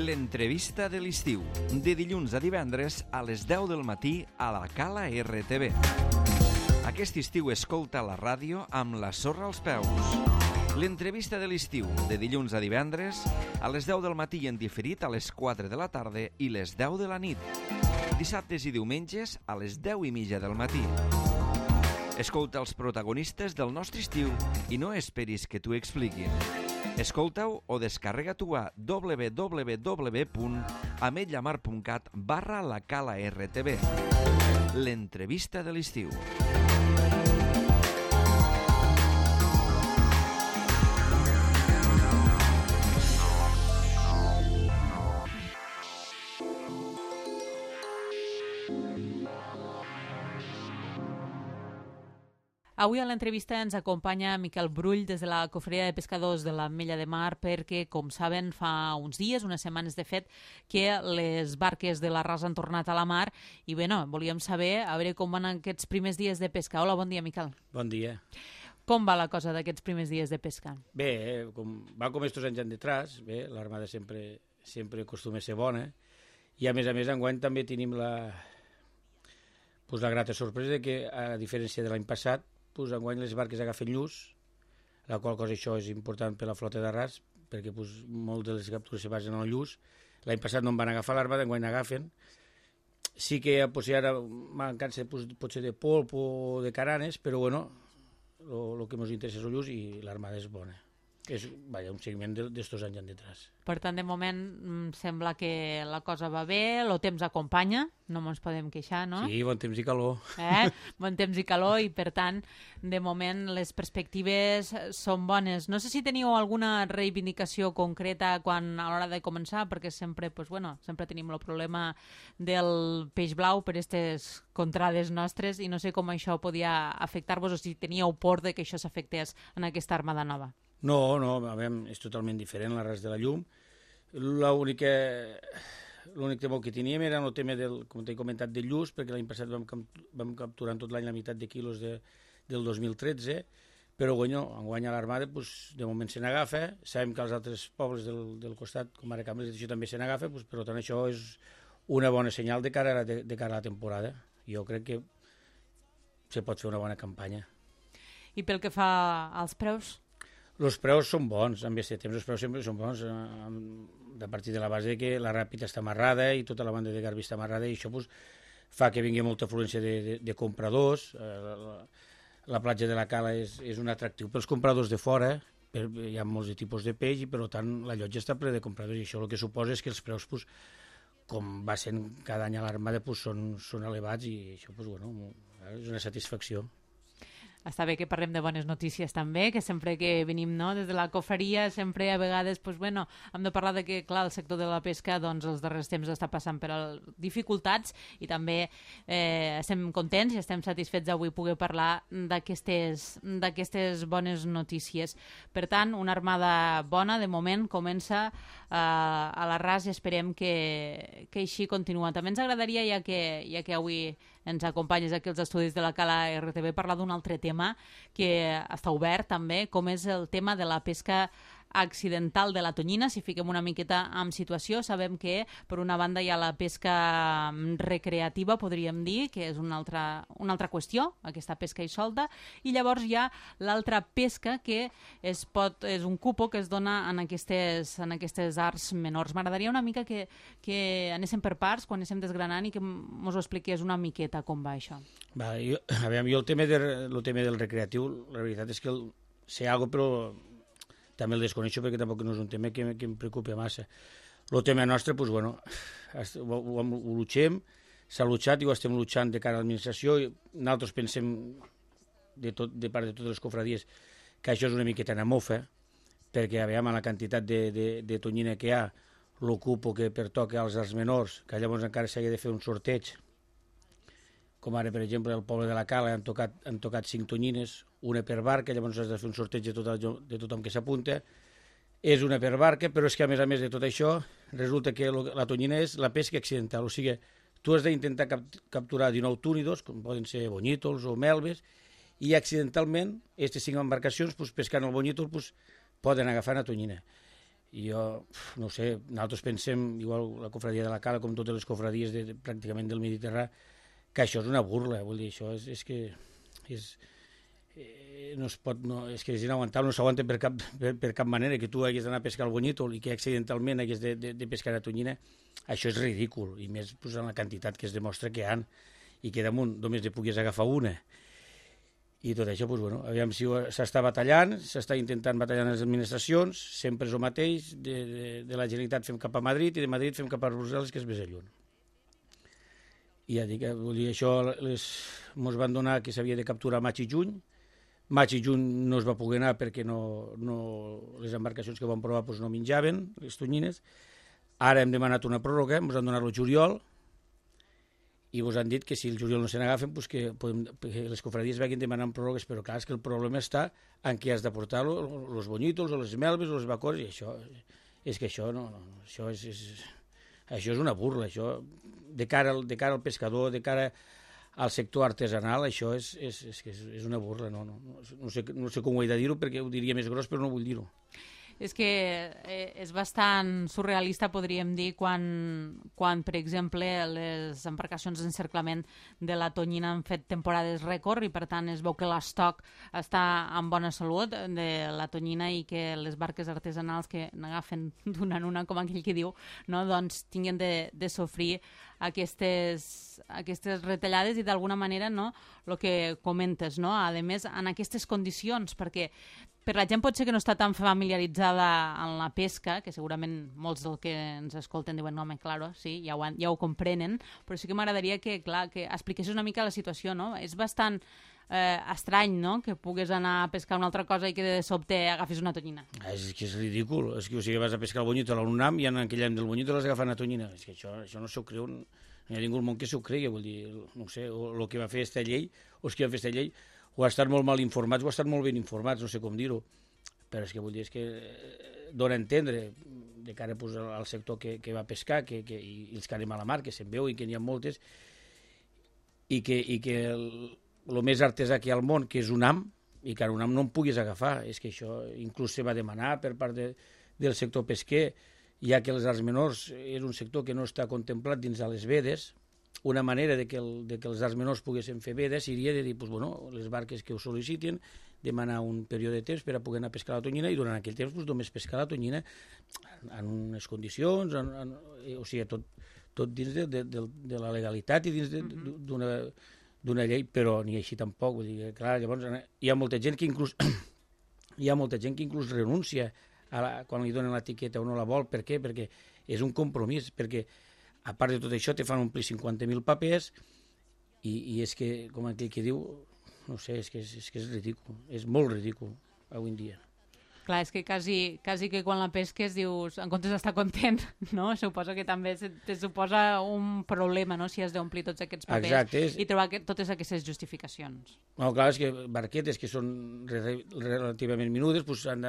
L'entrevista de l'estiu, de dilluns a divendres a les 10 del matí a la Cala RTV. Aquest estiu escolta la ràdio amb la sorra als peus. L'entrevista de l'estiu, de dilluns a divendres a les 10 del matí i en diferit a les 4 de la tarda i les 10 de la nit. Dissabtes i diumenges a les 10:30 del matí. Escolta els protagonistes del nostre estiu i no esperis que t'ho expliquin. Escolta-ho o descarrega-t'ho a www.ametlllamar.cat/la Cala RTV. L'entrevista de l'estiu. Avui a l'entrevista ens acompanya Miquel Brull des de la Cofreria de Pescadors de l'Ametlla de Mar perquè, com saben, fa uns dies, unes setmanes de fet, que les barques de l'Arràs han tornat a la mar i bé, volíem saber a veure com van aquests primers dies de pesca. Hola, bon dia, Miquel. Bon dia. Com va la cosa d'aquests primers dies de pesca? Bé, va com estos anys detrás, bé, l'armada sempre acostuma a ser bona i a més enguany també tenim la grata sorpresa que, a diferència de l'any passat, enguany les barques agafen lluç, la qual cosa això és important per la flota d'Arràs, perquè moltes de les captures se basen en el lluç. L'any passat no en van agafar l'armada, enguany n'agafen. Sí que ara mancança potser de polp o de caranes, però bueno, el que ens interessa és el lluç i l'armada és bona. És un seguiment d'estos anys detrás. Per tant, de moment sembla que la cosa va bé, el temps acompanya, no ens podem queixar, no? Sí, bon temps i calor. Bon temps i calor i, per tant, de moment les perspectives són bones. No sé si teniu alguna reivindicació concreta a l'hora de començar, perquè sempre tenim el problema del peix blau per aquestes contrades nostres i no sé com això podia afectar-vos o si teníeu por de que això s'afectés en aquesta armada nova. No, és totalment diferent l'Arràs de la Llum. L'únic temor que teníem era el tema, com t'he comentat, del lluç, perquè l'any passat vam capturar tot l'any la meitat de quilos del 2013, però enguany a l'armada de moment se n'agafa. Sabem que als altres pobles del costat, com ara Cambrils, això també se n'agafa, per tant això és una bona senyal de cara a la temporada. Jo crec que se pot fer una bona campanya. I pel que fa als preus? Els preus són bons, amb aquest temps els preus sempre són bons, a partir de la base que la Ràpita està amarrada i tota la banda de Garbí està amarrada i això fa que vingui molta afluència de compradors. La platja de la Cala és un atractiu pels compradors de fora, hi ha molts tipus de peix i per tant la llotja està ple de compradors i això el que suposa és que els preus, com va sent cada any a l'armada, són elevats i això és una satisfacció. Està bé que parlem de bones notícies també, que sempre que venim des de la cofreria, sempre a vegades hem de parlar de que, clar, el sector de la pesca els darrers temps està passant per dificultats i també estem contents i estem satisfets d'avui poder parlar d'aquestes bones notícies. Per tant, una armada bona, de moment, comença a l'Arràs i esperem que així continua. També ens agradaria, ja que avui ens acompanyes aquí als estudis de la Cala RTV, parlar d'un altre tema que està obert també, com és el tema de la pesca accidental de la tonyina. Si fiquem una miqueta en situació, sabem que per una banda hi ha la pesca recreativa, podríem dir, que és una altra qüestió, aquesta pesca i solta, i llavors hi ha l'altra pesca que és un cupo que es dona en aquestes arts menors. M'agradaria una mica que anéssim per parts, quan anéssim desgranant i que ens ho expliqués una miqueta com va això. Jo el tema del recreatiu, la veritat és que sé alguna cosa, però també el desconeixo perquè tampoc no és un tema que em preocupi massa. El tema nostre, ho luchem, s'ha luchat i ho estem luchant de cara a l'administració i nosaltres pensem de part de totes les cofradies que això és una miqueta una mofa perquè amb la quantitat de tonyina que hi ha, l'ocupo que pertoca als arts menors, que llavors encara s'ha de fer un sorteig, com ara, per exemple, al poble de la Cala han tocat 5 tonyines, una per barca, llavors has de fer un sorteig de tothom que s'apunta. És una per barca, però és que a més de tot això resulta que la tonyina és la pesca accidental, o sigui, tu has d'intentar capturar 19 túnidos, com poden ser bonyitos o melves, i accidentalment, aquestes 5 embarcacions, pescant el bonyítol, poden agafar una tonyina. I jo, no sé, nosaltres pensem, igual la cofradia de la Cala, com totes les cofradies pràcticament del Mediterrani, que això és una burla, vull dir, això és que no es pot, no, és que és inaguantable, no s'aguanta per cap manera, que tu hagués d'anar a pescar el bonyítol i que accidentalment hagués de pescar a tonyina, això és ridícul, i més pues, en la quantitat que es demostra que hi ha, i que damunt només ne puguis agafar una. I tot això, doncs, bueno, aviam si s'està batallant, s'està intentant batallar en les administracions, sempre és el mateix, de la Generalitat fem cap a Madrid i de Madrid fem cap a Brussel·les, que és més lluny. I ja dic, vull dir, això ens van donar que s'havia de capturar maig i juny no es va poder anar perquè les embarcacions que van provar doncs, no menjaven, les tonyines. Ara hem demanat una pròrroga, ens han donat el juliol, i vos han dit que si el juliol no se n'agafen, pues que les cofradies vagin demanant pròrrogues, però clar, és que el problema està en què has de portar els bonyitos o les melves o les bacores, i això és que això això és una burla, això de cara al pescador, de cara al sector artesanal, això és una burla, no sé com ho he de dir-ho perquè ho diria més gros, però no vull dir-ho. És que és bastant surrealista, podríem dir, quan, per exemple, les embarcacions d'encerclament de la tonyina han fet temporades rècord i, per tant, es veu que l'estoc està en bona salut de la tonyina i que les barques artesanals que n'agafen d'una en una, com aquell que diu, no, doncs tinguin de sofrir aquestes retallades i d'alguna manera, no, el que comentes, no, a més en aquestes condicions, perquè per la gent potser que no està tan familiaritzada en la pesca, que segurament molts dels que ens escolten diuen, no, home, claro, sí, ja ho comprenen, però sí que m'agradaria que expliquessis una mica la situació, no? És bastant estrany, no?, que pugues anar a pescar una altra cosa i que de sobte agafis una tonyina. És que és ridícul, és que o sigui, vas a pescar el bonyítol a un nam i en aquell any del bonyítol has agafat una tonyina. És que això no s'ho creu, no hi ha ningú al món que s'ho cregui, vull dir, no sé, o el que va fer esta llei, o els que van fer esta llei, o ha estat molt mal informats o ha estat molt ben informats, no sé com dir-ho, però és que vull dir, és que dona a entendre de cara pues, al sector que va pescar i els que anem a la mar, que se'n veu i que n'hi ha moltes, i que el més artesà que hi ha al món, que és un ham, i que un ham no en puguis agafar, és que això inclús se va demanar per part del sector pesquer, ja que les arts menors és un sector que no està contemplat dins de les vedes. Una manera de que els arts menors poguessin fer vedes seria de dir, pues, bueno, les barques que ho sol·licitin, demanar un període de temps per a poder anar a pescar la tonyina i durant aquell temps pues, només pescar la tonyina en unes condicions, o sigui, tot dins de la legalitat i dins d'una llei, però ni així tampoc. Vull dir, clar, llavors hi ha molta gent que inclús renuncia quan li donen l'etiqueta o no la vol. Per què? Perquè és un compromís, perquè a part de tot això te fan omplir 50.000 papers i és que, com aquell que diu, no sé, és que és ridícul, és molt ridícul avui en dia. Clar, és que quasi que quan la pesques dius, en comptes d'estar content, no? Suposo que també te suposa un problema, no?, si has d'omplir tots aquests papers. Exacte, i trobar totes aquestes justificacions. No, clar, és que barquetes que són relativament menudes pues han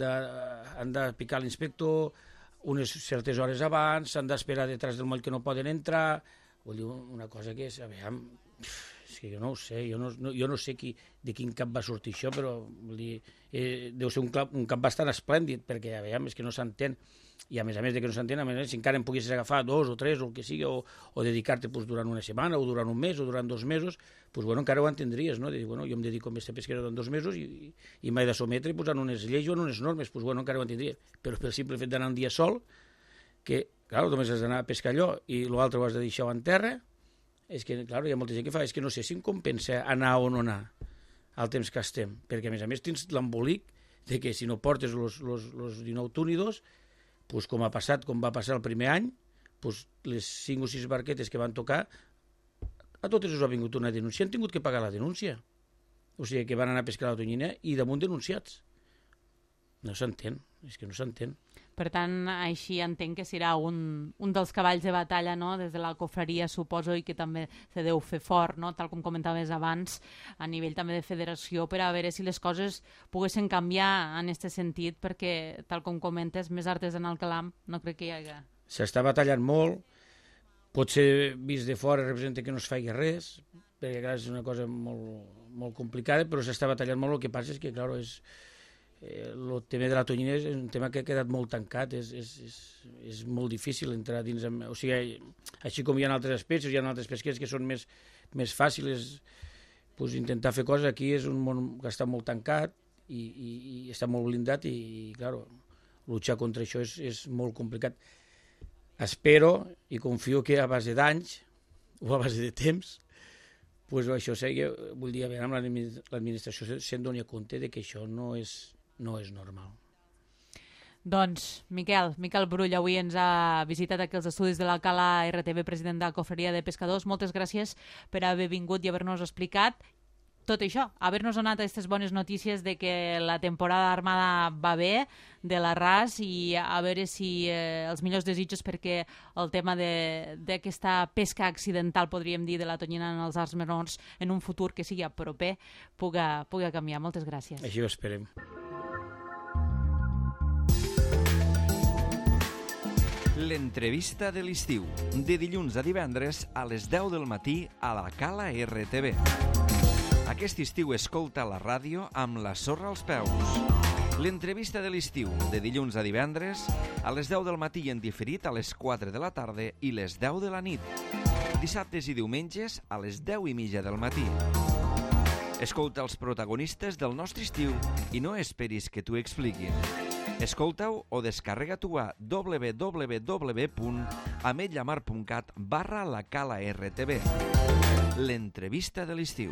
de picar l'inspector unes certes hores abans, s'han d'esperar detrás del moll que no poden entrar. Vull dir, una cosa que és, és que jo no ho sé, jo no sé de quin cap va sortir això, però vull dir, deu ser un cap bastant esplèndid, perquè és que no s'entén, i a més de que no s'entén, si encara en poguessis agafar 2 o 3 o el que sigui, o dedicar-te pues, durant una setmana, o durant un mes, o durant 2 mesos, pues, bueno, encara ho entendries, no? De dir, bueno, jo em dedico a aquesta pesquera durant 2 mesos i m'he de sometre pues, en unes lleis o en unes normes, pues, bueno, encara ho entendria, però pel simple fet d'anar un dia sol, que, clar, només has d'anar a pescar allò i l'altre ho has de deixar en terra, és que, clar, hi ha molta gent que fa, és que no sé si em compensa anar o no anar al temps que estem, perquè a més tens l'embolic de que si no portes els 19 túnidos, pues, com va passar el primer any, pues, les 5 o 6 barquetes que van tocar, a totes us ha vingut una denúncia, han tingut que pagar la denúncia. O sigui, que van anar a pescar la tonyina i damunt denunciats. No s'entén, és que no s'entén. Per tant, així entenc que serà un dels cavalls de batalla, no?, des de la cofreria, suposo, i que també se deu fer fort, no?, tal com comentaves abans, a nivell també de federació, per a veure si les coses poguessin canviar en aquest sentit, perquè, tal com comentes, més artesanal que l'ham, no crec que hi hagi. S'està batallant molt, potser vist de fora representa que no es faci res, perquè clar, és una cosa molt, molt complicada, però s'està batallant molt. El que passa és que, clar, el tema de la tonyina és un tema que ha quedat molt tancat, és molt difícil entrar dins... O sigui, així com hi ha altres espècies, hi ha altres pesquers que són més fàcils, pues, intentar fer coses. Aquí és un món que està molt tancat i està molt blindat i, clar, luchar contra això és molt complicat. Espero i confio que a base d'anys o a base de temps, pues, això sigui, vull dir, a veure, amb l'administració se'n doni compte de que això no és normal. Doncs, Miquel Brull avui ens ha visitat aquí els estudis de la Cala RTV, president de la Cofreria de Pescadors. Moltes gràcies per haver vingut i haver-nos explicat tot això, haver-nos donat aquestes bones notícies de que la temporada armada va bé, de l'arràs, i a veure si els millors desitjos perquè el tema d'aquesta pesca accidental, podríem dir, de la tonyina en els arts menors en un futur que sigui proper, puga canviar. Moltes gràcies. Així ho esperem. L'entrevista de l'estiu, de dilluns a divendres a les 10 del matí a la Cala RTV. Aquest estiu escolta la ràdio amb la sorra als peus. L'entrevista de l'estiu, de dilluns a divendres, a les 10 del matí i en diferit a les 4 de la tarda i les 10 de la nit. Dissabtes i diumenges a les 10:30 del matí. Escolta els protagonistes del nostre estiu i no esperis que t'ho expliquin. Escolta-ho o descarrega-t'ho a www.ametlllamar.cat/la Cala RTV. L'entrevista de l'estiu.